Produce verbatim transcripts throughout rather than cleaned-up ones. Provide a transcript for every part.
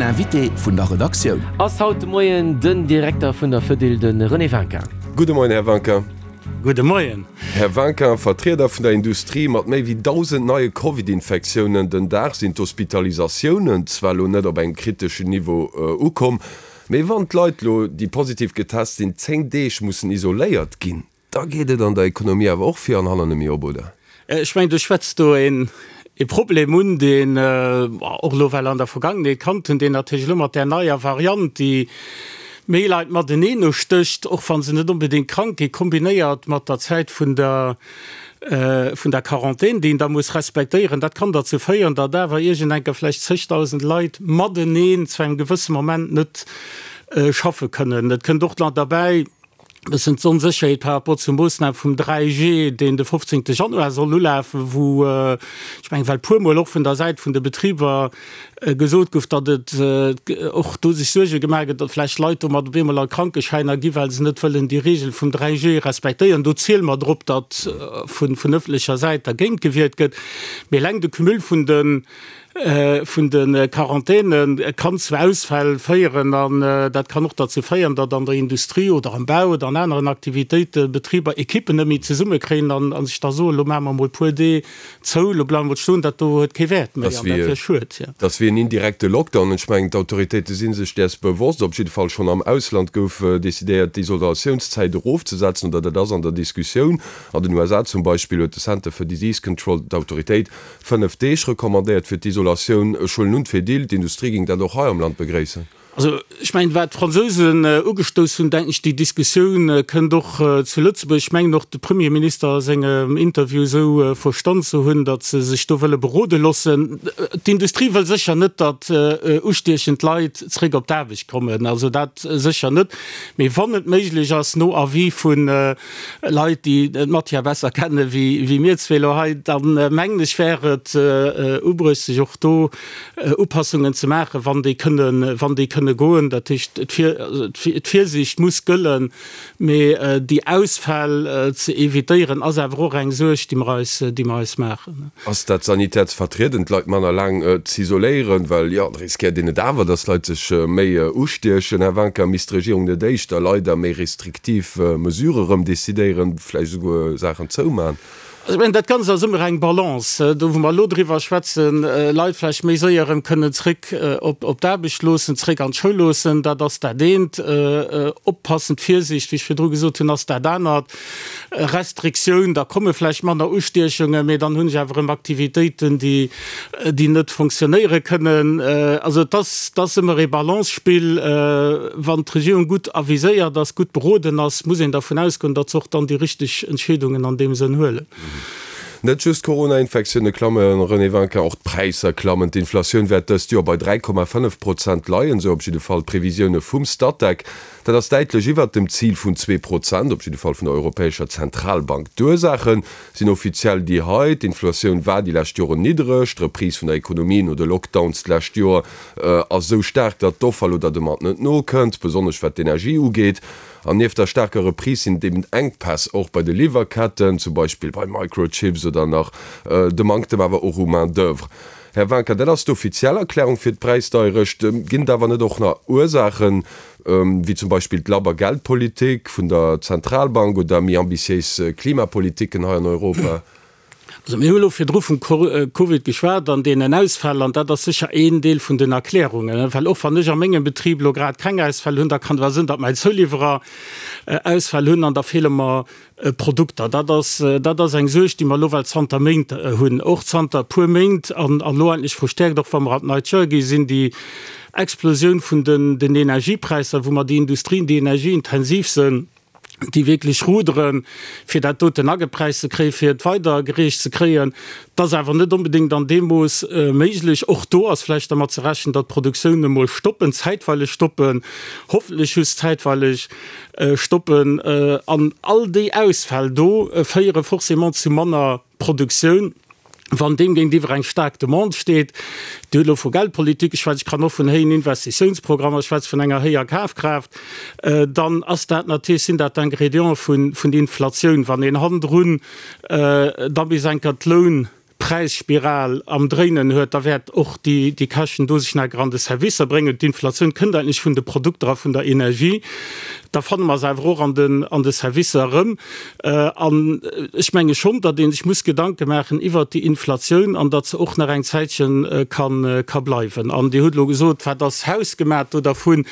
Invité vun der Redaktioun. Ass haut de Moien den Direkter vun der Fedil, de René Winkin. Gudde Moien, Här Winkin. Gudde Moien. Här Winkin, Vertrieder vun der Industrie, mat méi wéi dausend neie Covid-Infektiounen den Dag sinn d'Hospitalisatiounen zwar elo net op engem kriteschen Niveau ukomm, mee wann d'Leit elo, déi positiv getest sinn, zéng Deeg mussen isoléiert ginn, da geet et an der Ekonomie awer och vir an hannen net méi op, oder? Ech mengen, du schwätz do een e Problem un, deen och elo well an der Vergangenheet kannt hunn, deen natierlech elo mat där neier Variant, déi méi Leit mateneen ustécht, och wa se net onbedéngt krank ginn, kombinéiert mat der Zäit vun der vun der Quarantän, déi een da muss respektéieren, dat kann derzou féieren, datt awer iergend enker vläicht zegdausend Leit mateneen zu engem gewësse Moment net schaffe kënnen. Et kënnt och nach derbäi, e bëssen d'Onsécherheet par rapport zur Moossnam vum dräi G, deen de fofzéngte Januar soll ulafen, wou, ech mengen, well puermol och vun der Säit vun de Betriber gesot gouf, datt et och do sech Suerge gemaach gëtt, datt vläicht Leit domat op eemol a Krankeschäiner gi well se net wëllen déi Regel vum dräi G respektéieren. Do ziele mer drop, datt vun ëffentlecher Säit dergéint gewiert gëtt. Mee eleng de Cumul vun de vun de Quarantäne kann zu Ausfäll féieren an dat kann och derzou féieren, datt an der Industrie oder am Bau oder an aneren Aktivitéite Betriber Ekippen net méi zesummekréien an sech da soen, elo maache mer emol e puer Dee zou, elo bleiwe mer emol stoen, dat do huet kee Wäert méi an dat wier schued. Dat ass wéi en indirekte Lockdown. Ech mengen, d'Autoritéite si sech däers bewosst. Op jidde Fall schonn am Ausland gouf decidéiert, d'Isolatiounszäit erofzesetzen, oder dat ass an der Diskussioun. An den U S A zum Beispill huet de Center for Disease Control, d'Autoritéit, fënnef Deeg recommandéiert fir d'Isolatioun. Ech huelen un, d'Fedil, d'Industrie géing dat och hei am Land begréissen. Also, ech mengen, wat d'Fransousen ugestouss hunn, denken ech, déi Diskussioun kënnt och zu Lëtzebuerg. Ech mengen och, de Premierminister a sengem Interview esou verstan ze hunn, datt se sech do wëlle berode loossen. D'Industrie wëll sécher net, datt ustiechend Leit zréck op d'Aarbecht kommen, also dat sécher net. Mee wann et méiglech ass, no Avis vu Leit, déi d'Matière besser kenne wéi mir zwee elo hei, da mengen ech, wär et ubruecht, sech och do Upassungen ze maachen, wann déi kënnen, wann déi kënne goen. Dat heescht, d'Virsiicht muss gëllen, mee déi Ausfäll ze evitéieren, ass awer och eng Suerg, déi mer eis, déi mer eis maachen. Ass dat sanitär ze vertrieden, d'Leit manner laang z'isoléieren? Well jo, da riskéiert een et awer, datt d'Leit sech méi ustiechen. Här Wanka, misst d'Regierung net éischter leider méi restriktiv Mesurë rëm decidéieren, vläicht esouguer Saachen zouman? Also ech mengen, dat Ganzt ass ëmmer eng Balance. Do wou mer elo driwwer schwätzen, Leit vläicht méi séier erëm kënnen zréck op d'Aarbecht loossen, zréck an d'Schoul loossen, dat ass dat eent. Oppassen, d'Virsiicht, wéi ech virdru gesot hunn, ass dat anert. Restriktioun, da komme vläicht manner Ustiechungen, mee dann hunn ech awer erëm Aktivitéiten, déi déi net fonctionnéiere kënnen. Also et ass, et ass ëmmer ee Balance-Spill. Wann d'Regierung gutt aviséiert ass, gutt beroden ass, muss een dervun ausgoen, datt se och dann déi richteg Entscheedungen an deem Sënn huelen. Net just d'Corona-Infektioune klammen, René Winkin, och d'Präisser klammen. D'Inflatioun wäert dëst Joer bei dräi Komma fënnef Prozent leien, esou op jidde Fall d'Previsioune vum Statec. Dat ass däitlech iwwert dem Zil vun zwee Prozent, op jidde Fall vun der Europäescher Zentralbank. D'Ursaache sinn offiziell déi hei, D'Inflatioun war déi lescht Joren niddereg, d'Reprise vun der Ekonomie no de Lockdowns d'lescht Joer ass esou staark, datt d'Offer elo der Demande net nokënnt, besonnesch wat d'Energie ugeet. An nieft der staarker Reprise sinn et eben Enkpäss och bei de Liwwerketten, zum Beispill bei Microchips oder nach de Manktem awer och u Main d'oeuvre. Här Wincker, dat ass d'offiziell Erklärung fir d'Präisdeierecht. Ginn et awer net och nach Ursaachen, wéi zum Beispill d'labber Geldpolitik vun der Zentralbank oder méi ambitiéis Klimapolitiken hei an Europa? Also mir hu elo virdru vum Covid geschwat an deenen Ausfäll, an dat ass sécher een Deel vun den Erklärungen. Well och wann ech a mengem Betrib elo grad keng Ausfäll hunn, da kann et awer sinn, datt mäi Zouliwwerer Ausfäll hunn an da feele mer Produkter. Dat ass, dat ass eng Suerg, déi mer elo well zanter Méint hunn, och zanter e puer Méint an elo endlech verstäerkt, och wa mer an d'neit Joer gi sinn, déi Explosioun vun den Energiepräisser, wou mer déi Industrien, déi energieintensiv sinn, déi wierklech ruderen, fir dat doten agepräist ze kréien, fir et weidergereecht ze kréien. Dat ass awer net onbedéngt an deem Mooss méiglech. Och do ass vläicht dermat ze rechnen, datt d'Produktioun emol stoppen, zäitweileg stoppen, hoffentlech just zäitweileg stoppen. An all déi Ausfäll do féiere forcément zu manner Produktioun. Wann deem géintiwwer eng staark Demande steet, Dir hutt elo vu Geldpolitik geschwat, ech kann och vun héijen Investitiounsprogrammer schwätzen, vun enger héijer Kafkraaft, dann ass dat natierlech, sinn dat d'Ingrédiente vun, vun Inflatioun. Wann een hannendrun da bis eng Kéier d'Loun Präisspiral am Dréinen huet, da wäert och déi Käschten do sech nach an de Servicer bréngen. D'Inflatioun kënnt eigentlech vun de Produkter a vun der Energie. Da fanne mer se awer och an den, an de Servicer erëm. An ech menge schonn, datt ee sech muss Gedanke maachen iwwert déi Inflatioun an datt se och nach eng Zäitche kann, ka bleiwen. An Dir hutt elo gesot, wat ass hausgemaach do dervun?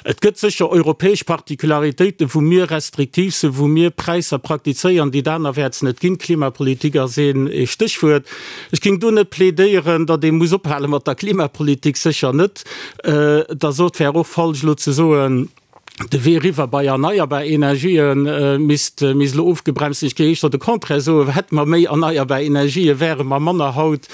Et gëtt sécher europäesch Particularitéiten, wou mir restriktiv sinn, wou mir Präisser praktizéieren, déi et anerwäerts net ginn. Klimapolitik ass een Stéchwuert. Ech géing do net plädéieren, datt ee muss ophale mat der Klimapolitik, sécher net. Da sot, wär och falsch elo ze soen, de Wee eriwwer bei erneierbar Energië misst misst elo ofgebremst sinn. Ech géing éischter de Contraire soen, Hätte mer méi erneierbar Energië, wäre mer manner haut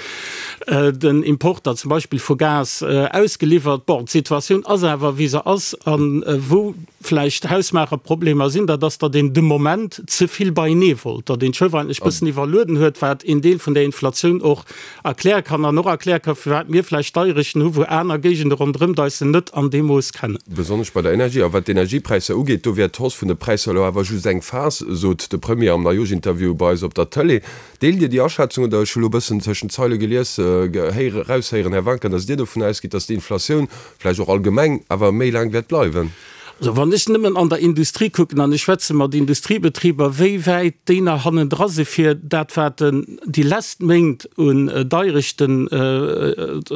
den Importer zum Beispill vu Gas ausgeliwwert. Bon, d'Situatioun ass awer wéi se ass a wou vläicht hausmaacher Problemer sinn, dat ass, datt een de Moment ze vill beienee wollt, datt een d'Schëff eigentlech bëssen iwwerlueden huet, wat een Deel vun der Inflatioun och erkläre kann an och erkläre ka firwat mir vläicht Deierechten hu wou aner Géigende ronderëm eis se net an deem Mooss kennen. Besonnesch bei der Energie. A wat d'Energiepräisser ugeet, do wär d'Hausse vun de Präisser elo awer just eng Phas, sot de Premier am Neijoschinterview bei eis op der Tëlee. Deelt Dir déi Aschätzung oder ech hu lo bëssen tëschent d'Zeile gelies, héiere, eraushéieren, Här Wanka, datt Dir dovun ausgitt, datt d'Inflatioun vläicht och allgemeng awer méi laang wäert bleiwen? Also wann ech nëmmen an der Industrie kucken, an ech schwätze mat Industriebetriber, wéi wäit déi nach hannendra si fir dat wat déi lesst Méint un Deierechten,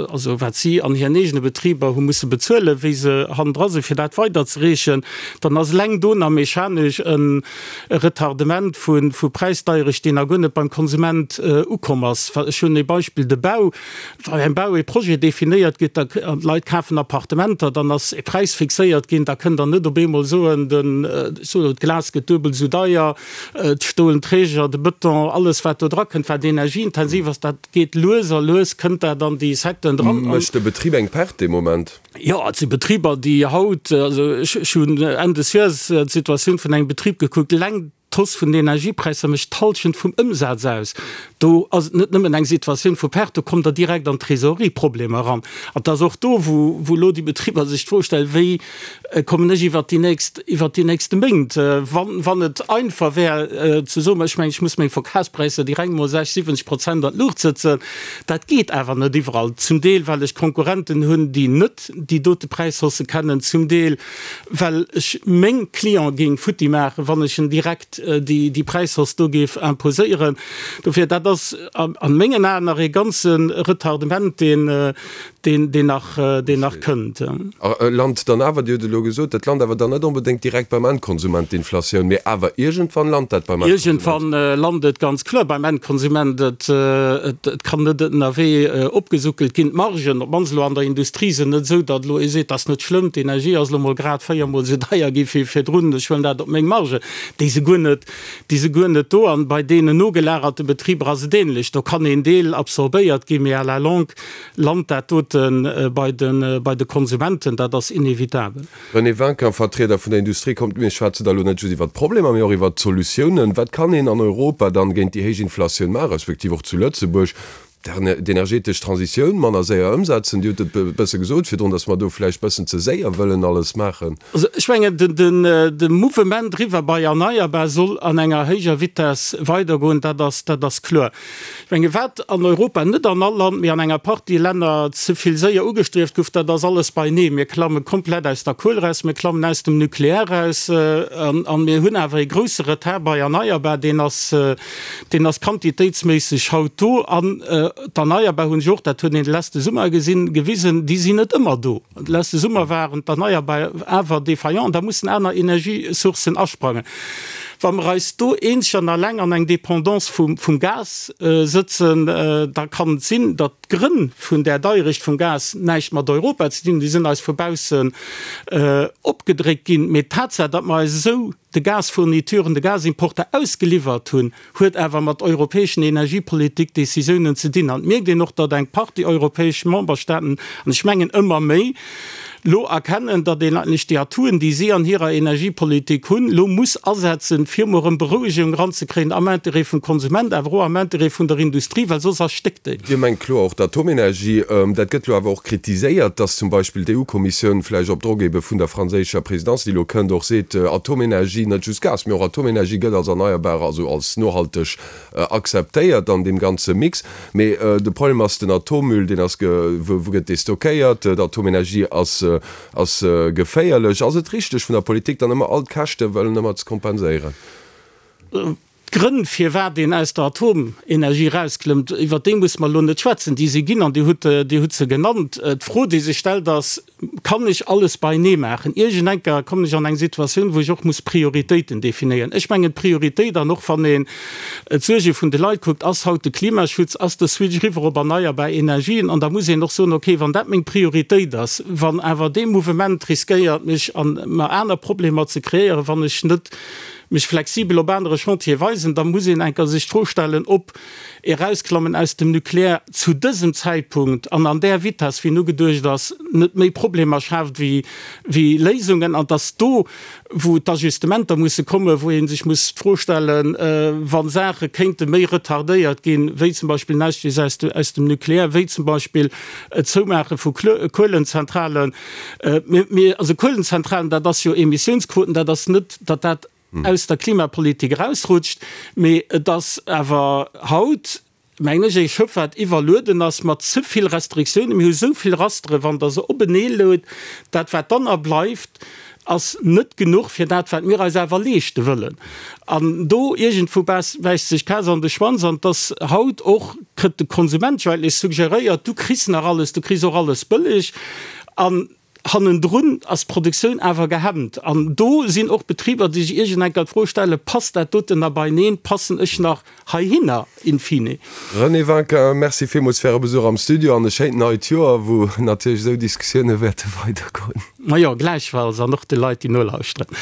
also wat si an hiren eegene Betriber hu musse bezuelen, wéi se hannendra si fir dat weiderzereechen, dann ass eleng do nach mechanesch e Retardement vu Präisdeierecht, deen nach guer net beim Konsument ukomm ass. Ech hunn ee Beispill, de Bau. Wa beim Bau ee Projet definéiert gëtt, da an d'Leit kafen Appartementer, dann ass e Präis fixéiert ginn, da kënnt Der net op eemol soen, den, ech soen elo, d'Glas gëtt duebel esou deier, d'stolen Träger, de Bëton, alles wat do drakënnt, wat energieintensiv ass, dat geet lues a lues kënnt dat an déi Secteuren dran. Mécht de Betrib eng Perte dee Moment? Jo, et si Betriber, déi haut, also ech hunn Enn des Joers d'Situatioun vun engem Betrib gekuckt, eleng d'Hausse vun den Energiepräisser mécht d'Hallschent vum Ëmsaz aus. Do ass et net nëmmen eng Situatioun vu Perte, do kommt Der direkt an Trésorerieproblemer eran. An et ass och do, wou elo déi Betriber sech d'Fro stellen, Wéi kommen ech iwwert déi nächst, iwwert déi nächste Méint? Wann, wann et einfach wär ze soen, ech mengen, ech muss meng Verkafspräisser direkt mol sechs, siwwenzeg Prozent an d'Luucht sëtzen, dat geet awer net iwwerall. Zum Deel, well ech Konkurrenten hunn, déi net déi dote Präishausse kennen, zum Deel, well ech meng Cliente géing futti maachen, wann ech en direkt déi, déi Präishausse do géif imposéieren. Dofir, dat ass a mengen Aen nach ee ganze Retardement, deen, deen, deen nach, deen nach kënnt. A lant dann awer, Dir hutt et elo gesot, dat lant awer dann net onbedéngt direkt beim Endkonsument, d'Inflatioun, mee awer iergendwann lant dat beim Endkonsument. Iergendwann lant et ganz kloer beim Endkonsument. Et, et kann net ënnerwee opgesuckelt ginn. D'Margen, op d'mannst elo an der Industrie, sinn net esou, datt elo ee seet, dat ass net schlëmm, d'Energie ass elo mol grad véiermol esou deier gi wéi virdrun, ech huelen dat op meng Marge. Déi si guer net, déi si guer net do. An bei deenen nogelagerten Betriber ass et ähnlech. Do kann een Deel absorbéiert ginn, mee à la longue lant dat dote bei de, bei de Konsumenten. Dat ass inevitabel. René Winkin, Vertrieder vun der Industrie, Kommt, mir schwätzen da elo net just iwwert d'Problemer, mee och iwwert d'Solutiounen. Wat kann een an Europa dann géint déi héich Inflatioun maachen, respektiv och zu Lëtzebuerg? D'energetesch Transitioun manner séier ëmsetzen. Dir hutt et e bësse gesot virdrun, datt mer do vläicht bëssen ze séier wëllen alles maachen. Also ech mengen, de Mouvement eriwwer bei erneierbar soll an enger héijer Vitess weidergoen, dat ass, dat ass kloer. Ech menge wat an Europa, net an all Land, mee an enger Partie Länner ze vill séier ugestrieft gouf, dat ass alles beinee. Mir klamme komplett aus der Kuel eraus, mir klammen aus dem Nucléaire eraus an mir hunn awer e grousse Retard bei erneierbar, deen ass, deen ass quantitéitsméisseg haut do. An d'Erneierbar hunn sech och, dat huet een de leschte Summer gesinn, gewisen, déi sinn net ëmmer do. De leschte Summer waren d'Erneierbar awer défaillant, da mussen aner Energiesourcen asprangen. Wa mer eis do eenzeg an alleng an eng Dépendance vum Gas sëtzen, da kann et sinn, datt d'Grënn vun där Deierecht vum Gas näischt mat Europa ze dinn hunn, déi sinn eis vu baussen opgedréckt ginn. Mee d'Tatsaach, datt mer eis esou de Gasfournituren, de Gasimporter ausgeliwwert hunn, huet awer mat europäeschen Energiepolitik-Décisiounen ze dinn. An et mierkt een och, datt eng Partie europäesch Memberstaaten, an ech mengen ëmmer méi, lo erkennen, datt een eigentlech déi Atouen, déi si an hirer Energiepolitik hunn, lo muss asetzen, fir emol erëm Berouegung eranzekréien am Interêt vum Konsument, awer och am Interêt vun der Industrie, well soss erstéckt déi. Dir mengt kloer och d'Atomenergie. Dat gëtt lo awer och kritiséiert, datt zum Beispill d'EU-Kommissioun vläicht op Drock ebe vun der franséischer Présidence, déi lo kënnt, och seet, Atomenergie, net just Gas, mee och Atomenergie gëtt als erneierbar, also als nohalteg akzeptéiert an deem ganze Mix. Mee de Problem ass den Atommüll, deen ass, wou gëtt dee stockéiert? D'Atomenergie ass ass geféierlech. Ass et richteg vun der Politik dann ëmmer all d'Käschte wëllen ëmmer ze kompenséieren? D'Grënn, firwat een aus der Atomenergie erausklëmmt, iwwert déi musse mer elo net schwätzen, déi si ginn an Dir hutt, Dir hutt se genannt. D'Fro, déi sech stellt, ass, Kann ech alles beienee maachen? Iergendenker kommen ech an eng Situatioun, wou ech och muss Prioritéiten definéieren. Ech mengen, d'Prioritéit, an och wann een d'Suerge vun de Leit kuckt, ass haut de Klimaschutz, ass de Switch eriwwer op erneierbar Energien. An da muss een och soen, okay, wann dat meng Prioritéit ass, wann awer dee Mouvement riskéiert, mech an mer aner Problemer ze kreéieren, wann ech net mech flexibel op anere Chantiere weisen, da muss een enker sech d'Fro stellen, ob Erausklammen aus dem Nucleaire zu dësem Zäitpunkt an an där Vitess, wéi en ugeduecht ass, net méi Problemer schaaft wéi Léisungen, an dass do, wou d'Ajustementer musse kommen, wou ee sech muss d'Fro stellen, wa Saache kéinte méi retardéiert ginn, wéi zum Beispill den Ausstieg aus dem Nucleaire, wéi zum Beispill d'Zoumaache vu Kuelenzentralen. Also Kuelenzentralen, dat ass jo Emissiounsquoten, dat ass net, datt dat aus der Klimapolitik erausrutscht, mee et ass awer haut, mengen ech, ee Schëff, wat iwwerlueden ass mat ze vill Restriktiounen. Mir hu sou vill Rastere, wann Der se openee luet, dat wat dann nach bleift, ass net genuch fir dat, wat mir eis awer leeschte wëllen. An do iergendwou bäisst sech d'Kaz an de Schwanz. An et ass haut och, kritt de Konsument jo eigentlech suggeréiert, du kriss nach alles, du kriss och alles bëlleg. An Hannendrun ass d'Produktioun awer gehemmt. An do sinn och Betriber, déi sech iergendenker d'Fro stellen, Passt dat doten nach beieneen? Passen ech nach heihinner in fine? René Winkin, Merci villmools fir Äre Besuch am Studio an e schéint neit Joer, wou natierlech esou Diskussioune wäerte weidergoen. Majo, gläichfalls an och de Leit, déi nolauschteren.